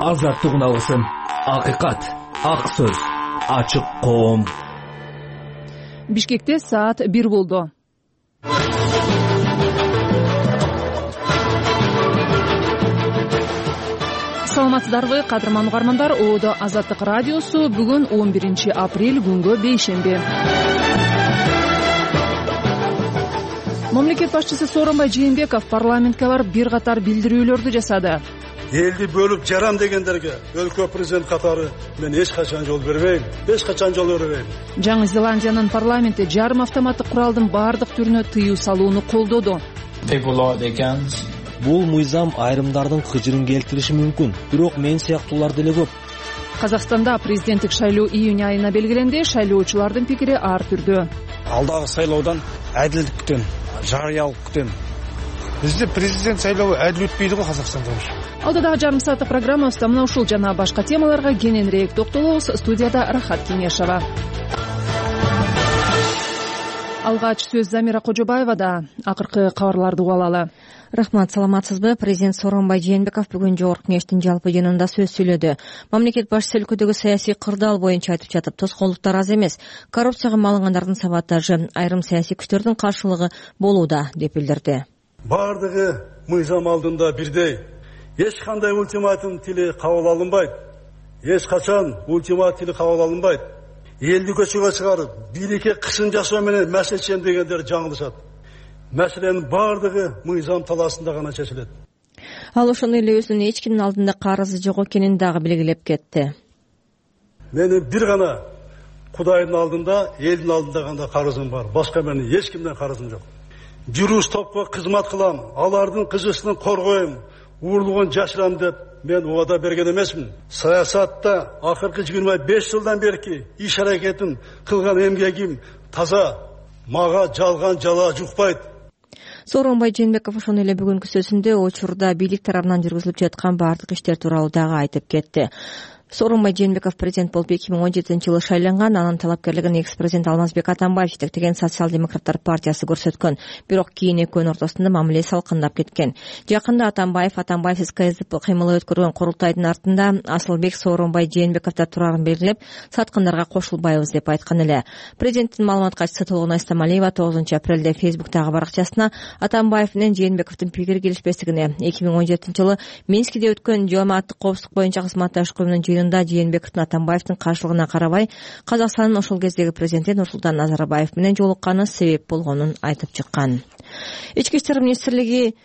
азаттык алсын. Акыйкат, ак сөз, ачык коом. Бишкекте саат 1 болду. Саламатсыздарбы, кадырман угармандар. Оодо Азаттык радиосу бүгүн 11 апрель күнгө бейшемби. Мамлекет башчысы Сооронбай Жээнбеков парламентке барып бир катар билдирүүлөрдү жасады. Элди бөлүп жарам дегендерге өлкө президент катары мен эч качан жол бербейм. Жаңы Зеландиянын парламенти жарым автоматтык куралдын бардык түрүнө тыюу салууну колдоду. Бул мыйзам айрымдардын кыжырын келтириши мүмкүн, бирок мен сыяктуулар деле көп. Казакстанда президенттик шайлоо июнь айына белгиленди. Шайлоочулардын пикири ар түрдүү. Алдагы сайлоодан адилдик күтөм, жарыялык күтөм. Бизде президент шайлоо адил өтпөйдү го Казакстанда. Алда дагы жарым сааттык программабызда мына ушул жана башка темаларга кененирээк токтолобуз. Студияда Рахат Кеңешова. Алгач сөз Замира Кожобаевада. Акыркы кабарларды угуп алалы. Рахмат, саламатсызбы? Президент Сооронбай Жээнбеков бүгүн Жогорку Кеңештин жалпы жыйынында сөз сүйлөдү. Мамлекет башчысы өлкөдөгү саясий кырдаал боюнча айтып жатып, тоскоолдуктар аз эмес. Коррупцияга малынгандардын сабаттажы, айрым саясий күчтөрдүн каршылыгы болууда деп билдирди. Бардыгы мыйзам алдында бирдей. Эч кандай ультиматум тили кабыл алынбайт. Эч качан ультиматум тили кабыл алынбайт. Элди көчөгө чыгарып, бийликке кысым жасоо менен маселе чечем дегендер жаңылышат. Маселенин бардыгы мыйзам талаасында гана чечилет. Ал ошондо эле өзүнүн эч кимдин алдында карызы жок экенин дагы белгилеп кетти. Менин бир гана Кудайдын алдында, элдин алдында гана карызым бар. Башка менин эч кимден карызым жок. Бир уч топко кызмат кылам, алардын кызысын коргойм, уурулугун жашырам деп мен убада берген эмесмин. Саясатта акыркы 25 жылдан берки иш аракетин кылган эмгегим таза, мага жалган жала жукпайт. Сооронбай Жээнбеков ошондой эле бүгүнкү сөзүндө учурда бийлик тарабынан жүргүзүлүп жаткан бардык иштер тууралуу дагы айтып кетти. Сооронбай Жээнбеков президент болуп 2017-жылы шайланган. Анын талапкерлигин экс-президент Алмазбек Атамбаев жетектеген Социал-демократтар партиясы көрсөткөн. Бирок кийин экөөнүн ортосунда мамиле салкындап кеткен. Жакында Атамбаевсиз КСДП кыймылы өткөргөн курултайдын артында Асылбек Сооронбай Жээнбековдор турарын белгилеп, саткындарга кошулбайбыз деп айткан эле. Президенттин маалымат катчысы Толгонай Стамалиева 9 апрелде Фейсбуктагы баракчасына Атамбаев менен Жээнбековдун пикири келишпестигине 2017-жылы Минскиде өткөн Жамааттык коопсуздук боюнча кызматташуу уюмунун жыйынында Жээнбековдун Атамбаевдин каршылыгына карабай Казакстандын ошол кездеги президенти Нурсултан Назарбаев менен жолукканы себеп болгонун айтып чыккан. Ички иштер министрлиги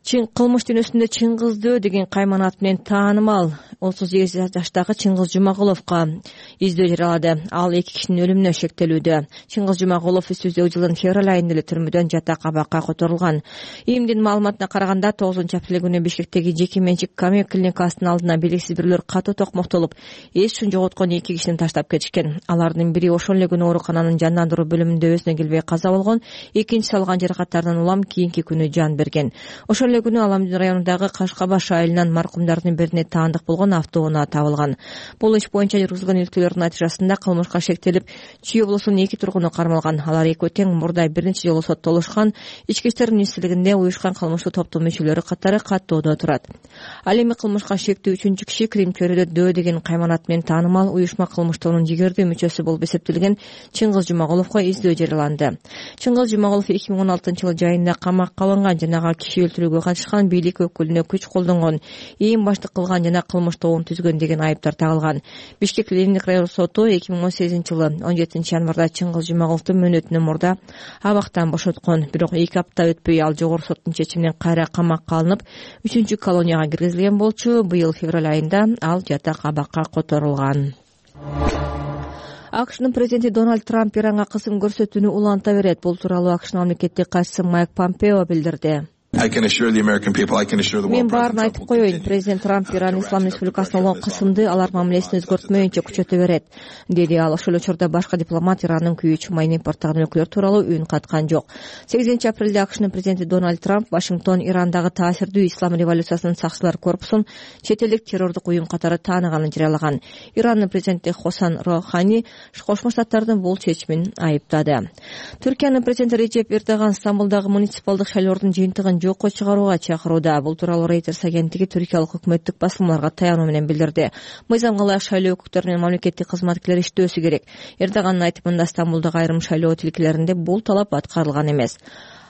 кылмыш дүйнөсүндө Чыңгызды деген кайман ат менен таанымал 38 жаштагы Чыңгыз Жумагуловго издөө жарыялады. Ал 2 кишинин өлүмүнө шектелүүдө. Чыңгыз Жумагулов өтүү жылдын февраль айында эле түрмөдөн жата кабакка которулган. ИИМдин маалыматына караганда 9 апрель күнү Бишкектеги жеке менчик камё клиникасынын алдына белгисиз бирлер катуу токмоктолуп, эсин жоготкон 2 кишини таштап кетишкен. Алардын бири ошол эле күнү оорукананын жандандыруу бөлүмүндө өзүнө келбей каза болгон, экинчиси алган жаракаттарынан улам кийинки күнү жан берген. Ошол эле күнү Аламдин районундагы Кашкабаш айылынан маркумдардын бирине таандык болгон автоунаа табылган. Бул иш боюнча жүргүзүлгөн иликтөөлөрдүн натыйжасында кылмышка шектелип, Чүй облусунун 2 тургуну кармалган. Алар экөө тең мурда бир нече жолу соттолушкан. Ички иштер министрлигинде уюшкан кылмыштуу топтун мүчөлөрү катары каттоодо турат. Ал эми кылмышка шектүү 3-чү киши Крим чөйрөдө Дөө деген кайманат менен таанымал уюшма кылмыштоонун жигердүү мүчөсү болуп эсептелген Чыңгыз Жумагуловго издөө жарыяланды. Чыңгыз Жумагулов 2016-жылы жайында камакка алынган жана киши өлтүрүүгө катышкан, бийлик өкүлүнө күч колдонгон, ИИМ баштык кылган жана кылмыш тобун түзгөн деген айыптар тагылган. Бишкек Лениндик район соту 2018-жылы 17 январда Чыңгыз Жумагуловдун мөөнөтүнөн мурда абактан бошоткон. Бирок 2 апта өтпөй ал жогорку соттун чечиминен кайра камакка алынып, 3-чү колонияга киргизилген болчу. Быйыл февраль айында ал жата кабакка которулган. АКШнын президенти Дональд Трамп Иранга кысым көрсөтүүнү уланта берет. Бул тууралуу АКШнын мамлекеттик катчысы Майк Помпео билдирди. Мен баарын айтып коеюн, президент Трамп Иран Ислам Республикасына болгон кысымды алар мамилесин өзгөртмөйүнчө күчөтө берет, деди ал. Ошол учурда башка дипломат Ирандын күйүүчү майын импорттогон өлкөлөр тууралуу үн каткан жок. 8 апрелде АКШнын президенти Дональд Трамп Вашингтон Ирандагы таасирдүү ислам революциясынын сакчылар корпусун четелдик террордук уюм катары тааныганын жарыялаган. Ирандын президенти Хасан Рохани Кошмо Штаттардын бул чечимин айыптады. Түркиянын президенти Режеп Эрдоган Стамбулдагы муниципалдык шайлоодун жыйынтыгын жокко чыгарууга чакырууда. Бул тууралуу Reuters агенттиги түркиялык өкмөттүк басылмаларга таянуу менен билдирди. Мыйзамга ылайык шайлоо өкүттөрү менен мамлекеттик кызматкерлер иштөөсү керек. Эрдогандын айтымында Стамбулдагы айрым шайлоо тилкелеринде бул талап аткарылган эмес.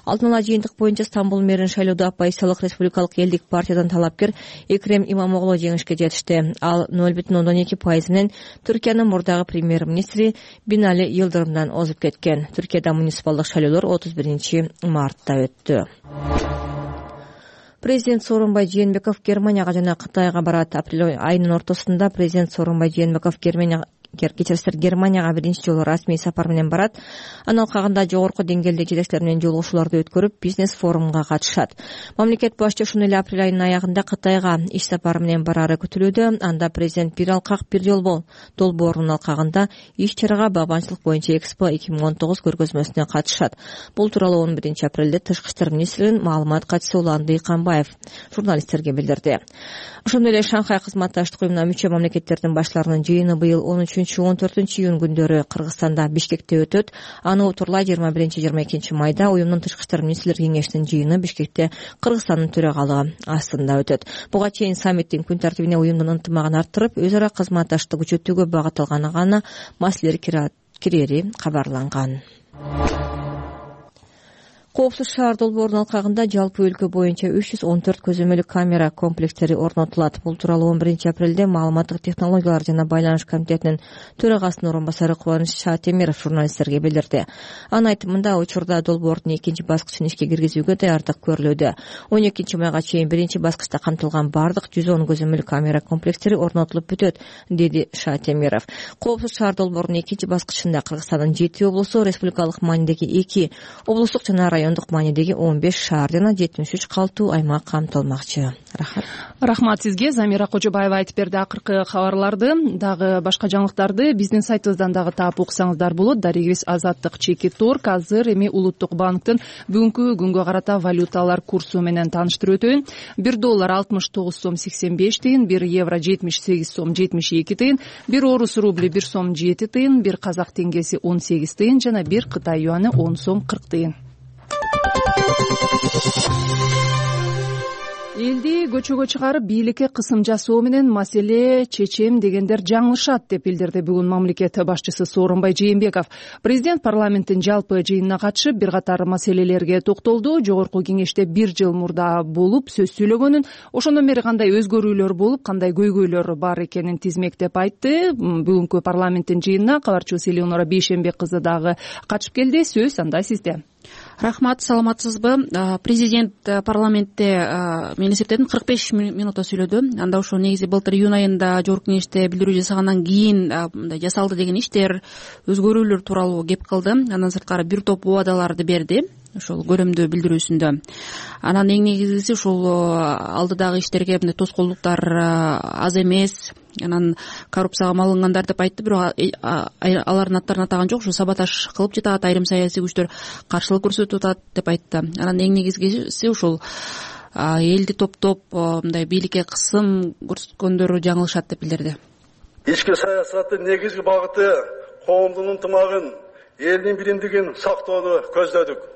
Алдын ала жыйынтык боюнча Стамбул мэрин шайлоодо оппозициялык республикалык элдик партиядан талапкер Экрем Имамоглу жеңишке жетишти. Ал 0,2% менен Түркиянын мурдагы премьер-министри Бинали Йылдырымдан озуп кеткен. Түркияда муниципалдык шайлоолор 31 мартта өттү. Президент Сооронбай Жээнбеков Германияга жана Кытайга барат. Апрель айынын ортосунда президент Сооронбай Жээнбеков Германияга биринчи жолу расмий сапар менен барат. Анын алкагында жогорку деңгээлдеги жетекчилер менен жолугушууларды өткөрүп, бизнес форумга катышат. Мамлекет башчы ушул эле апрель айынын аягында Кытайга иш сапары менен барары күтүлүүдө. Анда президент бир алкак бир жол долбоорунун алкагында иш-чарага багбанчылык боюнча Экспо 2019 көргөзмөсүнө катышат. Бул тууралуу 11 апрелде Тышкы иштер министринин маалымат катчысы Улан Дыйканбаев журналисттерге билдирди. Ошондой эле Шанхай кызматташтык уюмуна мүчө мамлекеттердин башларынын жыйыны быйыл 13-14 июнь күндөрү Кыргызстанда Бишкекте өтөт. Аны утурлай 21-22 майда уюмдун Тышкы иштер министрлер кеңешинин жыйыны Бишкекте Кыргызстандын төрагалыгы астында өтөт. Буга чейин саммиттин күн тартибине уюмдун ынтымагын арттырып, өз ара кызматташтыкты күчөтүүгө багытталган гана маселелер кирери кабарланган. Коопсуз шаар долбоорунун алкагында жалпы өлкө боюнча 314 көзөмөлү камера комплекстери орнотулат. Бул тууралуу 11 апрелде маалыматтык технологиялар жана байланыш комитетинин төрагасынын орун басары Кубаныч Шаатемиров журналисттерге билдирди. Анын айтымында учурда долбоордун экинчи баскычын ишке киргизүүгө даярдык көрүлүүдө. 12 майга чейин биринчи баскычта камтылган бардык 110 көзөмөлү камера комплекстери орнотулуп бүтөт, деди Шаатемиров. Коопсуз шаар долбоорунун экинчи баскычында Кыргызстандын 7 облусу, республикалык маанидеги 2 облустук жана райондук маанидеги 15 шаар жана 73 калттуу аймак камтылмакчы. Рахмат сизге, Замира Кожобаева айтып берди. Акыркы кабарларды дагы башка жаңылыктарды биздин сайтыбыздан дагы таап уксаңыздар болот. Дарегибиз Азаттык Чеки Торг азыр эми Улуттук банктын бүгүнкү күнгө карата валюталар курсу менен тааныштырып өтөйүн. 1 доллар 69 сом 85 тыйын, 1 евро 78 сом 72 тыйын, 1 орус рубли 1 сом 7 тыйын, 1 казак теңгеси 18 тыйын жана 1 Кытай юаны 10 сом 40 тыйын. Элди көчөгө чыгарып бийликке кысым жасоо менен маселе чечем дегендер жаңылышат деп билдирди бүгүн мамлекет башчысы Сооронбай Жээнбеков. Президент парламенттин жалпы жыйынына катышып бир катар маселелерге токтолду. Жогорку кеңеште 1 жыл мурда болуп сөз сүйлөгөнүн, ошондон бери кандай өзгөрүүлөр болуп, кандай көйгөйлөр бар экенин тизмектеп айтты. Бүгүнкү парламенттин жыйынына кабарчыбыз Элеонора Бейшенбек кызы дагы катышып келди. Сөз анда сизде. Рахмат, саламатсызбы? Президент парламентте мен эсептедим 45 минутта сүйлөдү. Анда ошо негизи былтыр июнь айында жогорку кеңеште билдирүү жасагандан кийин мындай жасалды деген иштер, өзгөрүүлөр тууралуу кеп кылды. Андан сырткары бир топ убадаларды берди ошол көрөмдүү билдирүүсүндө. Анан эң негизгиси ушул алдыдагы иштерге мындай тоскоолдуктар аз эмес, анан коррупцияга малынгандар деп айтты, бирок алардын аттарын атаган жок. Ушу саботаж кылып жатат, айрым саясий күчтөр каршылык көрсөтүп атат деп айтты. Анан эң негизгиси ушул элди топтоп мындай бийликке кысым көрсөткөндөрү жаңылышат деп билдирди. Ички саясаттын негизги багыты коомдун ынтымагын, элдин биримдигин сактоону көздөдүк.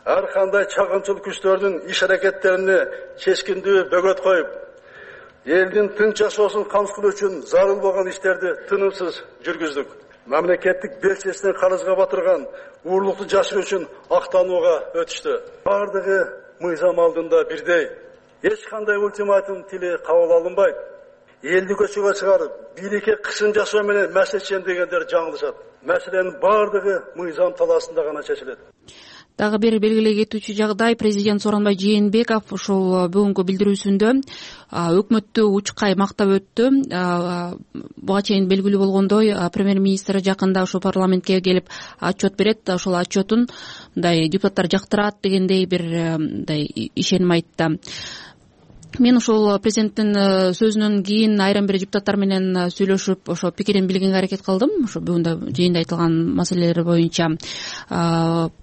Ар кандай чагымчыл күчтөрдүн иш-аракеттерине чечкиндүү бөгөт коюп, элдин тынч жашоосун камсыздоо үчүн зарыл болгон иштерди тынымсыз жүргүздүк. Мамлекеттик белчесинен карызга батырган уурлукту жашыруу үчүн актанууга өтүштү. Бардыгы мыйзам алдында бирдей. Эч кандай ультиматум тили кабыл алынбайт. Элди көчөгө чыгарып, бийликке кысым жасоо менен маселе дегендер жаңылышат. Маселенин бардыгы мыйзам талаасында гана чечилет. Дагы бир белгилей кетүүчү жагдай, президент Сооронбай Жээнбеков ушул бүгүнкү билдирүүсүндө өкмөттү учкай мактап өттү. Буга чейин белгилүү болгондой, премьер-министр жакында ушул парламентке келип отчет берет. Ошол отчетун мындай депутаттар жактырат дегендей бир мындай ишеним айтты. Мен ушул президенттин сөзүнөн кийин айрым бир депутаттар менен сүйлөшүп, ошо пикирин билгенге аракет кылдым. Ошо бүгүн жыйында айтылган маселелер боюнча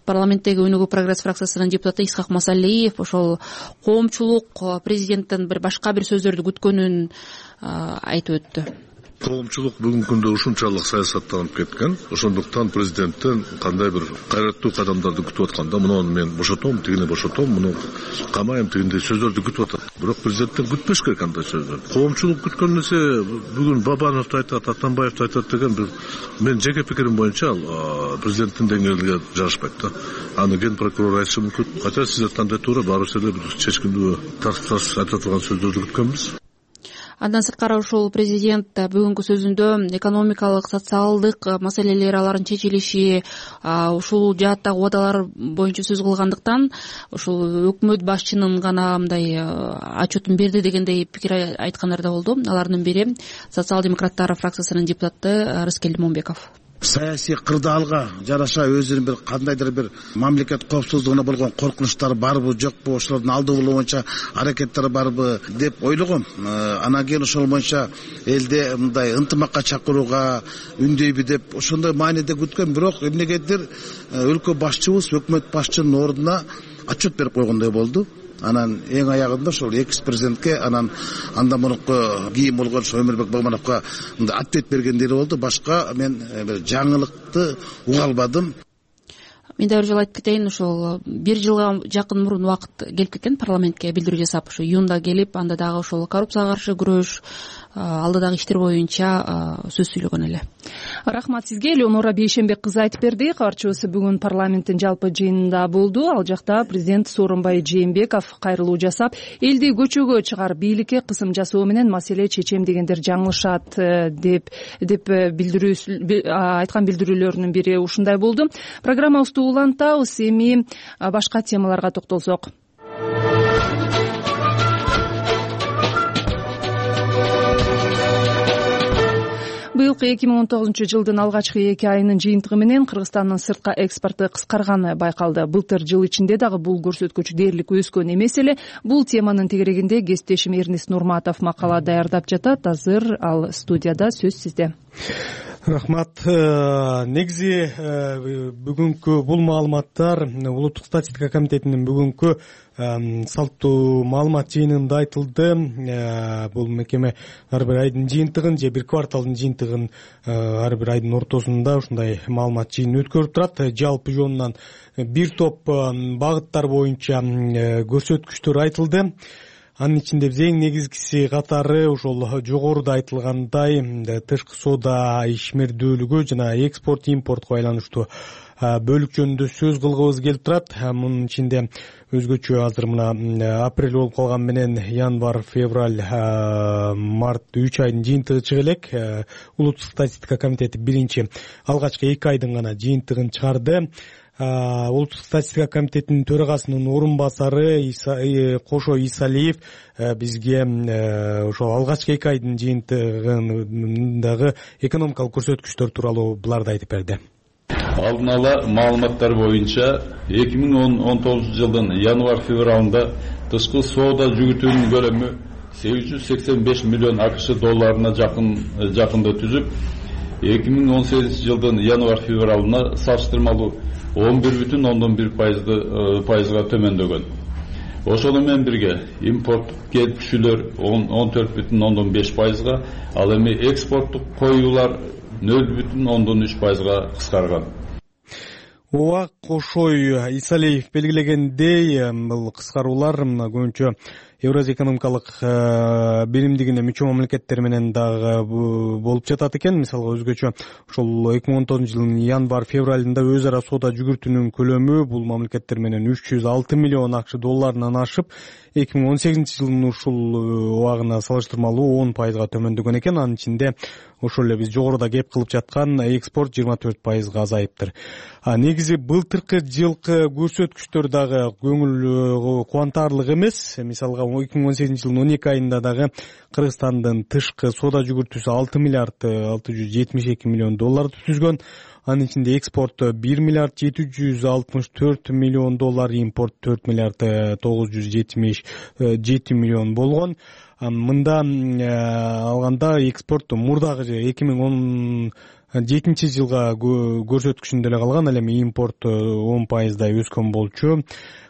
парламенттеги Өнүгүү прогресс фракциясынын депутаты Исхак Масалиев ошол коомчулук президенттин башка бир сөздөрдү күткөнүн айтып өттү. коомчулук бүгүнкү күндө ушунчалык саясаттанып кеткен. Ошондуктан президенттен кандай бир кайраттуу кадамдарды күтүп атканда, муну мен бошотом, тигини бошотом, муну камайм дегендей сөздөрдү күтүп атат. Бирок президенттен күтпеш керек андай сөздөрдү. Коомчулук күткөн нерсе бүгүн Бабанов да айтат, Атамбаев да айтат деген бир мен жеке пикирим боюнча ал президенттин деңгээлиге жарашпайт да. Аны ген прокурор айтышы мүмкүн. Кача сиздер кандай туура баарыбыз эле бир чечкиндүү тартып айтып турган сөздөрдү күткөнбүз. Андан сырткары ушул президент бүгүнкү сөзүндө экономикалык, социалдык маселелер алардын чечилиши, ушул жааттагы убадалар боюнча сөз кылгандыктан ушул өкмөт башчынын гана мындай отчетун берди дегендей пикир айткандар да болду. Алардын бири социал-демократтар фракциясынын депутаты Рыскел Момбеков. Саясий кырдаалга жараша өзүнүн бир кандайдыр бир мамлекет коопсуздугуна болгон коркунучтары барбы, жокпу, ошолордун алдын алуу боюнча аракеттери барбы деп ойлогом. Анан кийин ошол боюнча элде мындай ынтымакка чакырууга үндөйбү деп ошондой мааниде күткөн. Бирок эмнегедир өлкө башчыбыз өкмөт башчынын ордуна отчет берип койгондой болду. Анан эң аягында ошол экс-президентке анан андан мурунку кийин болгон Өмүрбек Багмановго ответ бергендери болду. Башка мен бир жаңылыкты уга албадым. Мен да бир жолу айтып кетейин, ошол бир жылга жакын мурун убакыт келип кеткен парламентке билдирүү жасап, ошо июнда келип, анда дагы ошол коррупцияга каршы күрөш, алдыдагы иштер боюнча сөз сүйлөгөн эле. Рахмат сизге. Элеонора Бейшенбек кызы айтып берди. Кабарчыбыз бүгүн парламенттин жалпы жыйынында болду. Ал жакта президент Сооронбай Жээнбеков кайрылуу жасап, элди көчөгө чыгарып, бийликке кысым жасоо менен маселе чечем дегендер жаңылышат деп айткан билдирүүлөрүнүн бири ушундай болду. Программабызды улантабыз. Эми башка темаларга токтолсок. Быйылкы 2019 жылдын алгачкы 2 айынын жыйынтыгы менен Кыргызстандын сыртка экспорту кыскарганы байкалды. Былтыр жыл ичинде дагы бул көрсөткүч дээрлик өскөн эмес эле. Бул теманын тегерегинде кесиптешим Эрнис Нурматов макала даярдап жатат. Азыр ал студияда, сөз сизде. Рахмат. Негизи бүгүнкү бул маалыматтар Улуттук статистика комитетинин бүгүнкү салттуу маалымат жыйынында айтылды. Бул мекеме ар бир айдын жыйынтыгын же бир кварталдын жыйынтыгын ар бир айдын ортосунда ушундай маалымат жыйынын өткөрүп турат. Жалпы жонунан бир топ багыттар боюнча көрсөткүчтөр айтылды. Анын ичинде эң негизгиси катары ошол жогоруда айтылгандай тышкы соода ишмердүүлүгү жана экспорт импортко байланыштуу бөлүк жөнүндө сөз кылгыбыз келип турат. Мунун ичинде өзгөчө азыр мына апрель болуп калган менен январь, февраль, март 3 айдын жыйынтыгы чыга элек. Улуттук статистика комитети биринчи алгачкы 2 айдын гана жыйынтыгын чыгарды. Улуттук статистика комитетинин төрагасынын орун басары Кошо Исалиев бизге ошол алгачкы 2 айдын жыйынтыгындагы экономикалык көрсөткүчтөр тууралуу буларды айтып берди. Алдын ала маалыматтар боюнча 2019 жылдын январь-февралында тышкы соода жүгүтүүнүн көлөмү 885 миллион акш долларына жакында түзүп, 2018 жылдын январь-февралына салыштырмалуу 11,1% төмөндөгөн. Ошону менен бирге импорт келипчүлөр 14,5%, ал эми экспорттук коюулар 0,3%га кыскарган. Ооба, Кошой Исалиев белгилегендей, бул кыскаруулар көбүнчө Евразия экономикалык биримдигине мүчө мамлекеттер менен дагы болуп жатат экен. Мисалга өзгөчө ошол 2019 жылдын январь-февралында өз ара соода жүгүртүүнүн көлөмү бул мамлекеттер менен 306 миллион акш долларынан ашып, 2018 жылдын ушул убагына салыштырмалуу 10%га төмөндөгөн экен. Анын ичинде ошол эле биз жогоруда кеп кылып жаткан экспорт 24%га азайыптыр. Негизи былтыркы жылкы көрсөткүчтөр дагы көңүл кубантарлык эмес. Мисалга 2018 жылдын 12 айында дагы Кыргызстандын тышкы соода жүгүртүүсү 6 миллиард 672 миллион долларды түзгөн. Анын ичинде экспорт 1 миллиард 764 миллион доллар, импорт 4 миллиард 977 миллион болгон. Мында алганда экспорт мурдагы 2010 жылга көрсөткүчүндө эле калган. Ал эми импорт 10% өскөн болчу.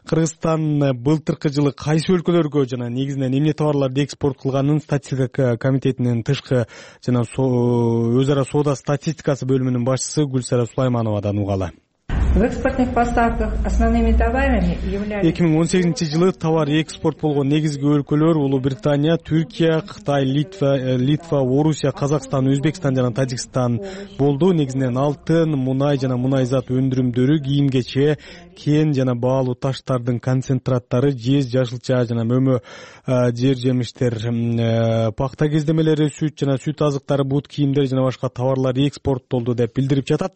Кыргызстан былтыркы жылы кайсы өлкөлөргө жана негизинен эмне товарларды экспорт кылганын статистика комитетинин тышкы жана өз ара соода статистикасы бөлүмүнүн башчысы Гүлсара Сулаймановадан угалы. В экспортных поставках основными товарами являлись 2018 жылы товар экспорт болгон негизги өлкөлөр Улуу Британия, Түркия, Кытай, Литва, Орусия, Казакстан, Өзбекстан жана Тажикстан болду. Негизинен алтын, мунай жана мунай зат өндүрүмдөрү, кийим-кече, кен жана баалуу таштардын концентраттары, жез, жашылча жана мөмө жер жемиштер, пакта кездемелери, сүт жана сүт азыктары, бут кийимдер жана башка товарлар экспорттолду деп билдирип жатат.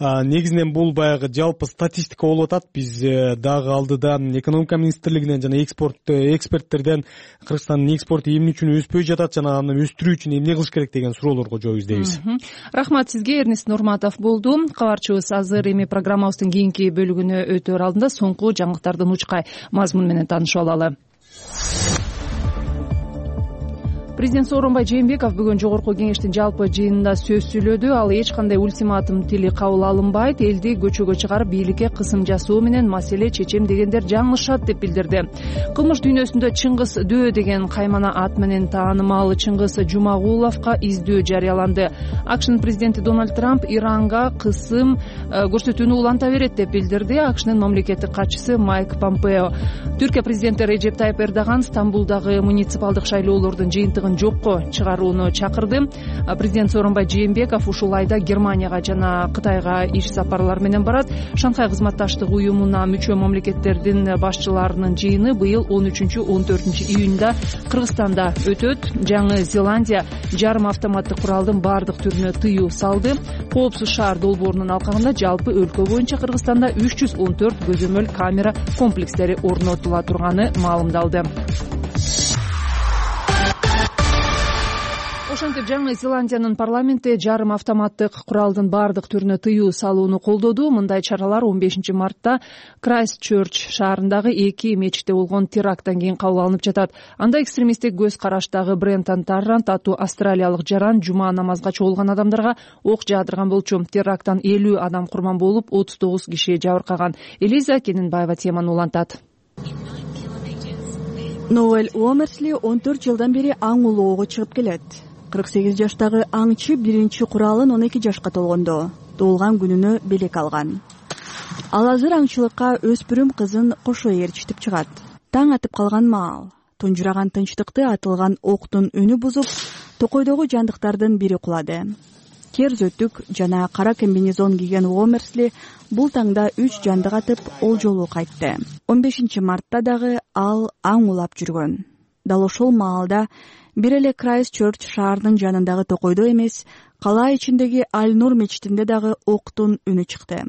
Негизинен бул баягы жалпы статистика болуп атат. Биз дагы алдыда экономика министрлигинен жана эксперттерден Кыргызстандын экспорту эмне үчүн өспөй жатат жана аны өстүрүү үчүн эмне кылыш керек деген суроолорго жооп издейбиз. Рахмат сизге, Эрнест Нурматов болду. Кабарчыбыз азыр эми программабыздын кийинки бөлүгүнө өтөр алдында соңку жаңылыктардын учкай мазмуну менен таанышып алалы. Президент Сооронбай Жээнбеков бүгүн Жогорку кеңештин жалпы жыйынында сөз сүйлөдү. Ал эч кандай ультиматум тили кабыл алынбайт, элди көчөгө чыгарып бийликке кысым жасоо менен маселе чечем дегендер жаңылышат деп билдирди. Кылмыш дүйнөсүндө Чыңгыз Дөө деген каймана ат менен таанымал Чыңгыз Жумагуловго издөө жарыяланды. АКШнын президенти Дональд Трамп Иранга кысым көрсөтүүнү уланта берет деп билдирди. АКШнын мамлекеттик катчысы Майк Помпео. Түркия президенти Режеп Тайып Эрдоган Стамбулдагы муниципалдык шайлоолордун жыйынтыгын жокко чыгарууну чакырды. Президент Сооронбай Жээнбеков ушул айда Германияга жана Кытайга иш сапарлар менен барат. Шанхай кызматташтык уюмуна мүчө мамлекеттердин башчыларынын жыйыны быйыл 13-14 июнда Кыргызстанда өтөт. Жаңы Зеландия жарым автоматтык куралдын бардык түрүнө тыюу салды. Коопсуз шаар долбоорунун алкагында жалпы өлкө боюнча Кыргызстанда 314 көзөмөл камера комплекстери орнотула турганы маалымдалды. Ошентип жаңы Зеландиянын парламенти жарым автоматтык куралдын бардык түрүнө тыюу салууну колдоду. Мындай чаралар 15 мартта Крайстчерч шаарындагы 2 мечитте болгон теракттан кийин кабыл алынып жатат. Анда экстремисттик көз караштагы Брентон Таррант аттуу австралиялык жаран жума намазга чогулган адамдарга ок жаадырган болчу. Теракттан 50 адам курман болуп, 39 киши жабыркаган. Элиза Кененбаева теманы улантат. Ноэль Уомерсли 14 жылдан бери аң улоого чыгып келет. 48 жаштагы аңчы биринчи куралын 12 жашка толгондо туулган күнүнө белек алган. Ал азыр аңчылыкка өспүрүм кызын кошо ээрчитип чыгат. Таң атып калган маал тунжураган тынчтыкты атылган октун үнү бузуп, токойдогу жандыктардын бири кулады. Кер-зөтүк жана кара комбинезон кийген Уомерсли бул таңда 3 жанды катып ол жолу кайтты. 15 мартта дагы ал аң улап жүргөн. Дал ошол маалда бир эле Крайстчерч шаарынын жанындагы токойдо эмес, кала ичиндеги Аль-Нур мечитинде дагы октун үнү чыкты.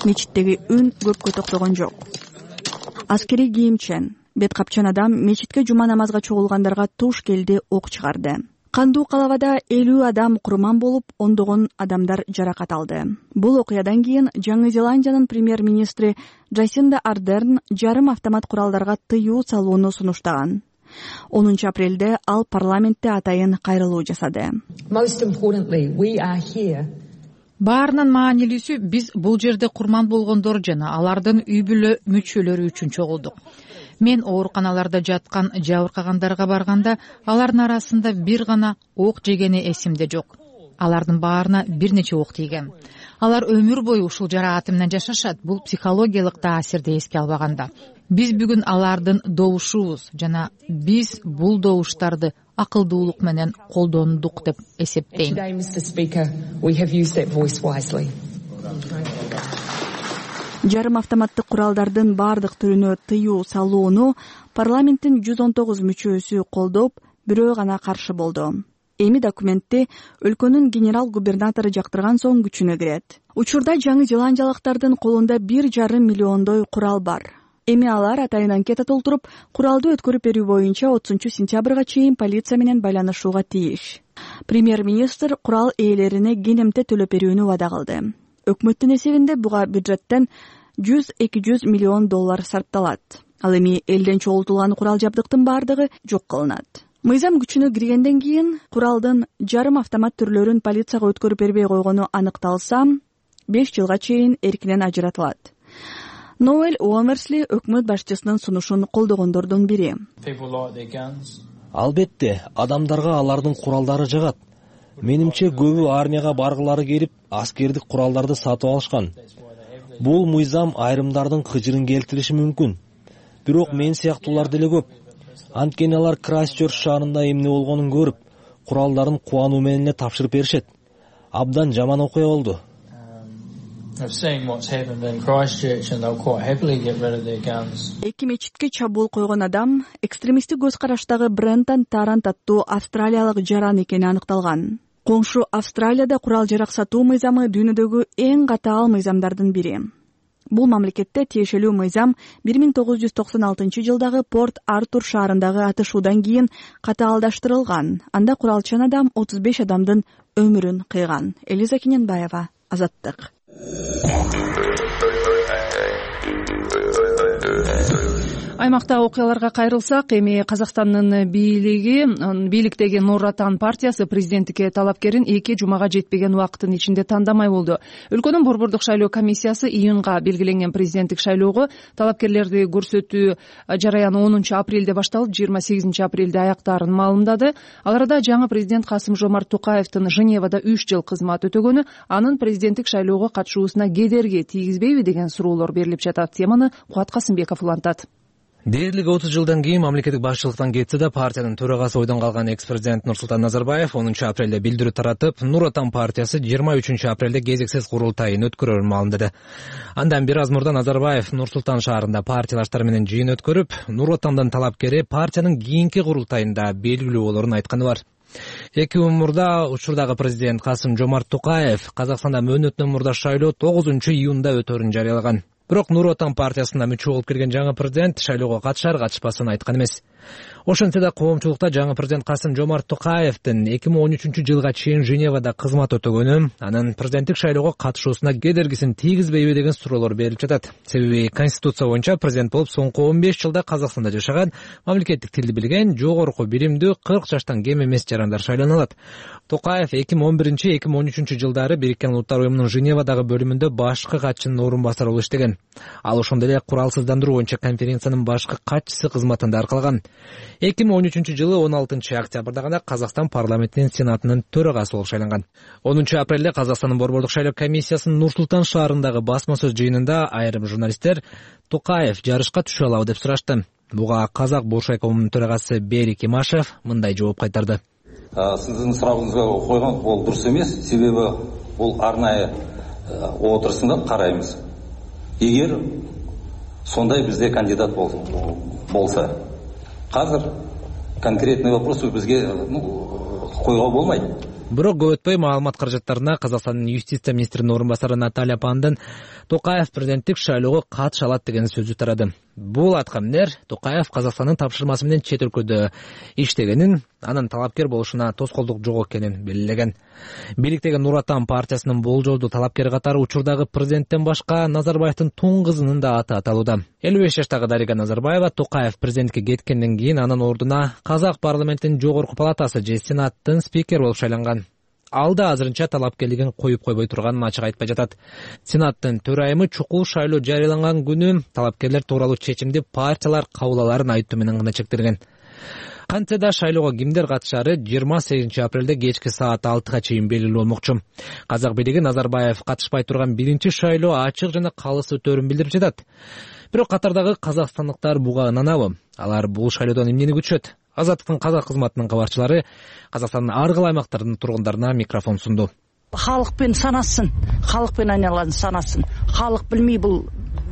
Мечиттеги үн көпкө токтогон жок. Аскерий кийимчен, бет капчан адам мечитке жума намазга чогулгандарга туш келди ок чыгарды. Кандуу калабада 50 адам курман болуп, ондогон адамдар жаракат алды. Бул окуядан кийин Жаңы Зеландиянын премьер-министри Джасинда Ардерн жарым автомат куралдарга тыюу салууну сунуштаган. 10 апрелде ал парламентте атайын кайрылуу жасады. Баарынан маанилүүсү биз бул жерде курман болгондор жана алардын үй бүлө мүчөлөрү үчүн чогулдук. Мен ооруканаларда жаткан жабыркагандарга барганда алардын арасында бир гана ок жегени эсимде жок. Алардын баарына бир нече ок тийген. Алар өмүр бою ушул жарааты менен жашашат. Бул психологиялык таасирди эске албаганда. Биз бүгүн алардын добушубуз жана биз бул добуштарды акылдуулук менен колдондук деп эсептейм. Жарым автоматтык куралдардын бардык түрүнө тыюу салууну парламенттин 119 мүчөсү колдоп, бирөө гана каршы болду. Эми документти өлкөнүн генерал-губернатору жактырган соң күчүнө кирет. Учурда жаңы зеландиялыктардын колунда 1,5 миллиондой курал бар. Эми алар атайын анкета толтуруп, куралды өткөрүп берүү боюнча 30 сентябрга чейин полиция менен байланышууга тийиш. Премьер-министр курал ээлерине кенемте төлөп берүүнү вада кылды. Өкмөттүн эсебинде буга бюджеттен 100-200 миллион доллар сарпталат. Ал эми элден чогултулган курал жабдыктын бардыгы жок кылынат. Мыйзам күчүнө киргенден кийин куралдын жарым автомат түрлөрүн полицияга өткөрүп бербей койгону аныкталса, 5 жылга чейин эркинен ажыратылат. Ноэл Уомерсли өкмөт башчысынын сунушун колдогондордун бири. Албетте, адамдарга алардын куралдары жагат. Менимче көбү армияга баргылары келип, аскердик куралдарды сатып алышкан. Бул мыйзам айрымдардын кыжырын келтириши мүмкүн. Бирок мен сыяктуулар деле көп. Анткени алар Крайстчерч шаарында эмне болгонун көрүп, куралдарын кубануу менен эле тапшырып беришет. Абдан жаман окуя болду. Эки мечитке чабуул койгон адам экстремисттик көз караштагы Брентон Тарант аттуу австралиялык жаран экени аныкталган. Коңшу Австралияда курал жарак сатуу мыйзамы дүйнөдөгү эң катаал мыйзамдардын бири. Бул мамлекетте тиешелүү мыйзам 1996 жылдагы Порт Артур шаарындагы атышуудан кийин катаалдаштырылган. Анда куралчан адам 35 адамдын өмүрүн кыйган. Элиза Кененбаева, Азаттык. Аймакта окуяларга кайрылсак, эми Казакстандын бийликтеги Нур Отан партиясы президенттикке талапкерин 2 жумага жетпеген убакыттын ичинде тандамай болду. Өлкөнүн борбордук шайлоо комиссиясы июнга белгиленген президенттик шайлоого талапкерлерди көрсөтүү жараяны 10 апрелде башталып, 28 апрелде аяктаарын маалымдады. Ал арада жаңы президент Касым-Жомарт Токаевдин Женевада 3 жыл кызмат өтөгөнү анын президенттик шайлоого катышуусуна кедерги тийгизбейби деген суроолор берилип жатат. Теманы Кубат Касымбеков улантат. Дээрлик 30 жылдан кийин мамлекеттик башчылыктан кетсе да, партиянын төрагасы ойдон калган экс-президент Нурсултан Назарбаев 10 апрелде билдирүү таратып, Нур Отан партиясы 23 апрелде кезексиз курултайын өткөрөрүн маалымдады. Андан бир аз мурда Назарбаев Нур-Султан шаарында партиялаштар менен жыйын өткөрүп, Нур Отандын талапкери партиянын кийинки курултайында белгилүү болорун айтканы бар. 2 күн мурда учурдагы президент Касым-Жомарт Токаев Казакстанда мөөнөтүнөн мурда шайлоо 9 июнда өтөрүн жарыялаган. Бирок Нур Отан партиясына мүчө болуп кирген жаңы президент шайлоого катышар катышпасын айткан эмес. Ошентсе да коомчулукта жаңы президент Касым-Жомарт Токаевдин 2013 жылга чейин Женевада кызмат өтөгөнү анын президенттик шайлоого катышуусуна кедергисин тийгизбейби деген суроолор берилип жатат. Себеби Конституция боюнча президент болуп соңку 15 жылда Казакстанда жашаган, мамлекеттик тилди билген, жогорку билимдүү 40 жаштан кем эмес жарандар шайлана алат. Токаев 2011-2013 жылдары Бириккен Улуттар уюмунун Женевадагы бөлүмүндө башкы катчынын орун басары болуп иштеген. Ал ошондой эле куралсыздандыруу боюнча конференциянын башкы катчысы кызматында аркалаган. 2013 жылы 16 октябрда гана Казакстан парламентинин сенатынын төрагасы болуп шайланган. 10 апрелде Казакстандын борбордук шайлоо комиссиясынын Нур-Султан шаарындагы басма сөз жыйынында айрым журналисттер Токаев жарышка түшө алабы деп сурашты. Буга Казак Буршайкомунун төрагасы Берик Имашев мындай жооп кайтарды. Сиздин сурагыңызга койгон бул дурус эмес, себеби бул арнайы отурусунда карайбыз. Эгер сондай бизде кандидат болса, казыр конкретный вопрос бизге койгого болмайт. Бирок көп өтпөй маалымат каражаттарына Казакстандын юстиция министринин орун басары Наталья Пандын Токаев президенттик шайлоого катыша алат деген сөзү тарады. Бул аткамнер Токаев Казакстандын тапшырмасы менен чет өлкөдө иштегенин, анын талапкер болушуна тоскоолдук жок экенин белгилеген. Бийликтеги Нур Отан партиясынын болжолдуу талапкери катары учурдагы президенттен башка Назарбаевдин тун кызынын да аты аталууда. 55 жаштагы Дарига Назарбаева Токаев президенттикке кеткенден кийин анын ордуна Казак парламентинин жогорку палатасы же Сенаттын спикери болуп шайланган. Ал да азырынча талапкерлигин коюп койбой турганын ачык айтпай жатат. Сенаттын төрайымы чукул шайлоо жарыяланган күнү талапкерлер тууралуу чечимди партиялар кабыл аларын айтуу менен гана чектелген. Кантсе да шайлоого кимдер катышары 28 апрелде кечки саат 6га чейин белгилүү болмокчу. Казак бийлиги Назарбаев катышпай турган биринчи шайлоо ачык жана калыс өтөрүн билдирип жатат. Бирок катардагы казакстандыктар буга ынанабы? Алар бул шайлоодон эмнени күтүшөт? Азаттыктын казак кызматынын кабарчылары Казакстандын ар кайсы аймактарынын тургундарына микрофон сунду. Халыкпен санасын, халыкпен айналаны санасын. Халык билмей бул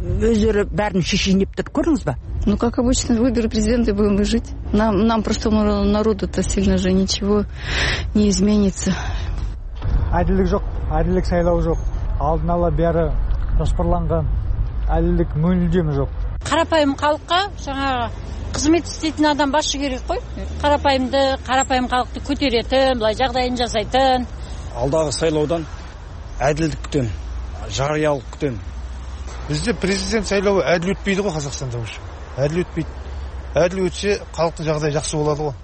өздөрү бәрін шешейин деп тұр, көрдіңіз ба? Ну, как обычно, выборы президента будем мы жить. Нам просто народу-то сильно же ничего не изменится. Әділдік жоқ, әділдік сайлау жоқ. Алдын ала бәрі жоспарланған. Әділдік мүлдем жоқ. Қарапайым халыққа жаңағы қызмет істейтін адам басшы керек қой. Қарапайым халықты көтеретін, былай жағдайын жасайтын. Алдағы сайлаудан әділдік күтем, жариялық күтем. Бізде президент сайлауы әділ өтпейді ғой Қазақстанда уже. Әділ өтпейді. Әділ өтсе халықтың жағдайы жақсы болады ғой.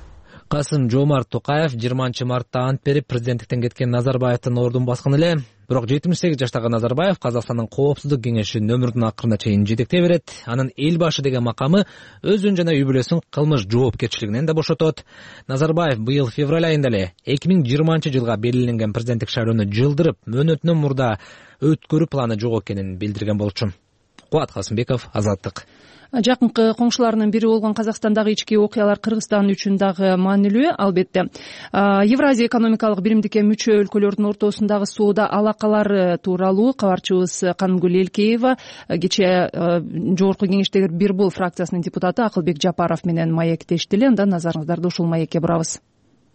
Касым-Жомарт Токаев 20-мартта ант берип президенттиктен кеткен Назарбаевдин ордун баскан эле. Бирок 78 жаштагы Назарбаев Казакстандын Коопсуздук кеңешинин өмүрүнүн акырына чейин жетектей берет. Анын эл башы деген макамы өзүн жана үй бүлөсүн кылмыш жоопкерчилигинен да бошотот. Назарбаев быйыл февраль айында эле 2020-жылга белгиленген президенттик шайлоону жылдырып, мөөнөтүнөн мурда өткөрүү планы жок экенин билдирген болчу. Кубат Касымбеков, Азаттык. Жакынкы коңшуларынын бири болгон Казакстандагы ички окуялар Кыргызстан үчүн дагы маанилүү. Албетте, Евразия экономикалык биримдикке мүчө өлкөлөрдүн ортосундагы соода алакалары тууралуу кабарчыбыз Канымгүл Элкеева кечээ жогорку кеңештеги Бир Бул фракциясынын депутаты Акылбек Жапаров менен маектешти эле. Андан назарыңыздарды ушул маекке бурабыз.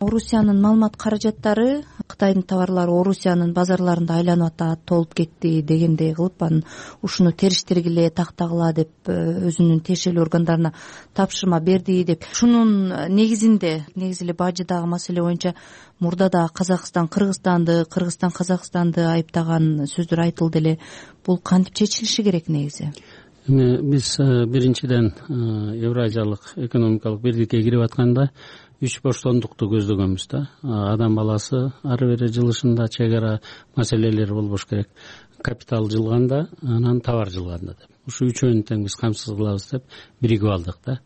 Орусиянын маалымат каражаттары Кытайдын товарлары Орусиянын базарларында айланып атат, толуп кетти дегендей кылып, анан ушуну териштиргиле, тактагыла деп өзүнүн тиешелүү органдарына тапшырма берди деп. Ушунун негизи эле бажыдагы маселе боюнча мурда да Казакстан Кыргызстанды, Кыргызстан Казакстанды айыптаган сөздөр айтылды эле. Бул кантип чечилиши керек негизи? Биз биринчиден Евразиялык экономикалык биrdикке кирип атканда 3 боштондукту көздөгөнбүз да. Адам баласы ары бери жылышында чек ара маселелери болбош керек. Капитал жылганда, анан товар жылганда деп. Ушу үчөөнү тең биз камсыз кылабыз деп биригип алдык да.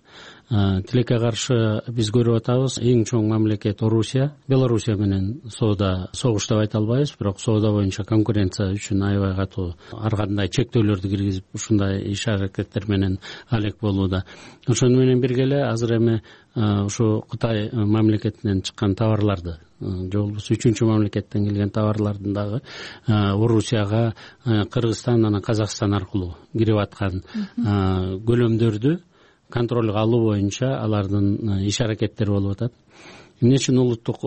Тилекке каршы биз көрүп атабыз, эң чоң мамлекет Орусия. Белоруссия менен соода согуш деп айта албайбыз, бирок соода боюнча конкуренция үчүн аябай катуу ар кандай чектөөлөрдү киргизип, ушундай иш аракеттер менен алек болууда. Ошону менен бирге эле азыр эми ушу Кытай мамлекетинен чыккан товарларды, же болбосо үчүнчү мамлекеттен келген товарлардын дагы Орусияга Кыргызстан анан Казакстан аркылуу кирип аткан көлөмдөрдү контролго алуу боюнча алардын иш аракеттери болуп атат. Эмне үчүн улуттук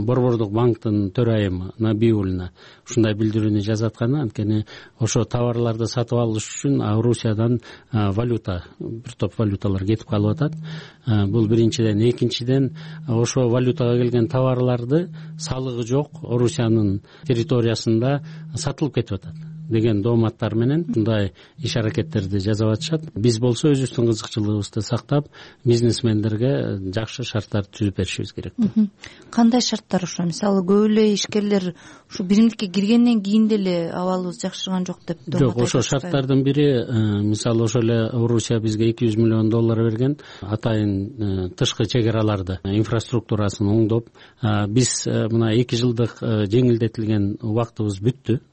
борбордук банктын төрайымы Набиуллина ушундай билдирүүнү жазатканы, анткени ошо товарларды сатып алыш үчүн Орусиядан валюта, бир топ валюталар кетип калып атат. Бул биринчиден. Экинчиден, ошо валютага келген товарларды салыгы жок Орусиянын территориясында сатылып кетип атат деген дооматтар менен мындай иш аракеттерди жасап атышат. Биз болсо өзүбүздүн кызыкчылыгыбызды сактап, бизнесмендерге жакшы шарттарды түзүп беришибиз керек. Кандай шарттар ошо? Мисалы, көп эле ишкерлер ушу биримдикке киргенден кийин деле абалыбыз жакшырган жок деп доомат айтышат. Жок, ошо шарттардын бири, мисалы, ошо эле Орусия бизге $200 миллион берген, атайын тышкы чек араларды, инфраструктурасын оңдоп, биз мына 2 жылдык жеңилдетилген убактыбыз бүттү.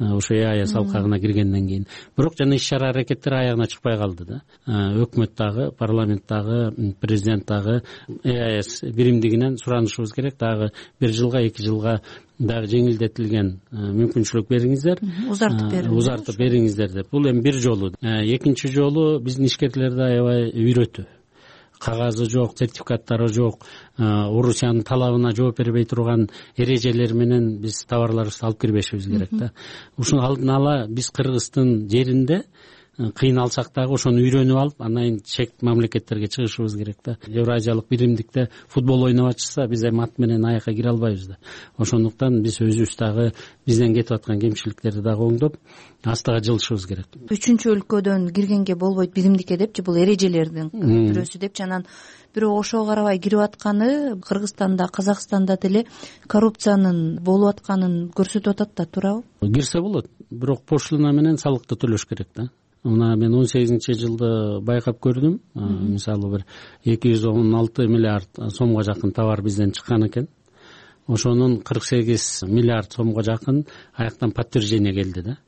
Ошо ЕАЭС алкагына киргенден кийин. Бирок жана иш-чара аракеттер аягына чыкпай калды да. Өкмөт дагы, парламент дагы, президент дагы ЕАЭС биримдигинен суранышыбыз керек. Дагы 1 жылга, 2 жылга дагы жеңилдетилген мүмкүнчүлүк бериңиздер. Узартып бериңиздер деп. Бул эми бир жолу. Экинчи жолу биздин ишкерлерди аябай үйрөтүү. Кагазы жок, сертификаттары жок, Орусиянын талабына жооп бербей турган эрежелер менен биз товарларыбызды алып кирбешибиз керек да. Ушуну алдын ала биз Кыргыздын жеринде кыйналсак дагы ошону үйрөнүп алып, андан чек мамлекеттерге чыгышыбыз керек да. Евразиялык биримдикте футбол ойноп атышса, биз эми ат менен аякка кире албайбыз да. Ошондуктан биз өзүбүз дагы бизден кетип аткан кемчиликтерди дагы оңдоп, астыга жылышыбыз керек. Үчүнчү өлкөдөн киргенге болбойт биримдикке депчи, бул эрежелердин бирөөсү депчи. Анан бирок ошого карабай кирип атканы Кыргызстанда, Казакстанда деле коррупциянын болуп атканын көрсөтүп атат да, туурабы? Кирсе болот, бирок пошлина менен салыкты төлөш керек да. Мына мен 18-жылды байкап көрдүм. Мисалы, бир 216 миллиард сомго жакын товар бизден чыккан экен. Ошонун 48 миллиард сомго жакын аяктан подтверждение келди да.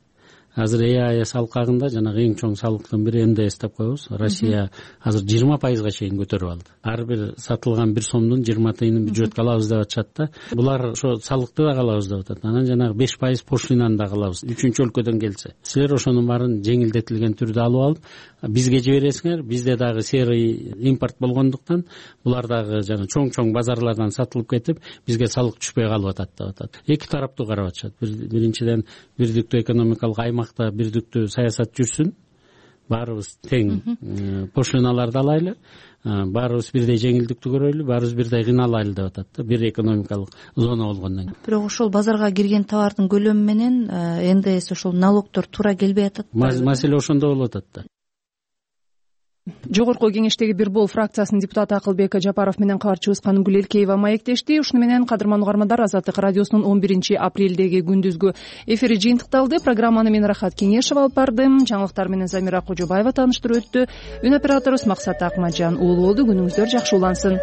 Азыр ЕАЭС алкагында жанагы эң чоң салыктын бири НДС деп коебуз. Россия азыр 20%га чейин көтөрүп алды. Ар бир сатылган 1 сомдун 20 тыйынын бюджетке алабыз деп атышат да. Булар ошо салыкты да алабыз деп атат. Анан жанагы 5% пошлинаны да алабыз. Үчүнчү өлкөдөн келсе. Силер ошонун баарын жеңилдетилген түрдө алып алып, бизге жибересиңер. Бизде дагы серый импорт болгондуктан булар дагы жана чоң базарлардан сатылып кетип, бизге салык түшпөй калып атат деп атат. Эки тараптуу карап атышат. Биринчиден бирдиктүү экономикалык аймакта бирдиктүү саясат жүрсүн. Баарыбыз тең пошлиналарды алайлы. Баарыбыз бирдей жеңилдикти көрөлү, баарыбыз бирдей кыйналайлы деп атат да. Бир экономикалык зона болгондон кийин. Бирок ошол базарга кирген товардын көлөмү менен НДС ошол налогдор туура келбей атат. Маселе ошондо болуп атат да. Жогорку кеңештеги Бир Бол фракциясынын депутаты Акылбек Жапаров менен кабарчыбыз Канымгүл Элкеева маектешти. Ушуну менен кадырман угармандар, Азаттык радиосунун 11 апрелдеги күндүзгү эфири жыйынтыкталды. Программаны мен Рахат Кеңешева алып бардым. Жаңылыктар менен Замира Кожобаева тааныштырып өттү. Үн операторубуз Максат Акмаджан уулу болду. Күнүңүздөр жакшы улансын.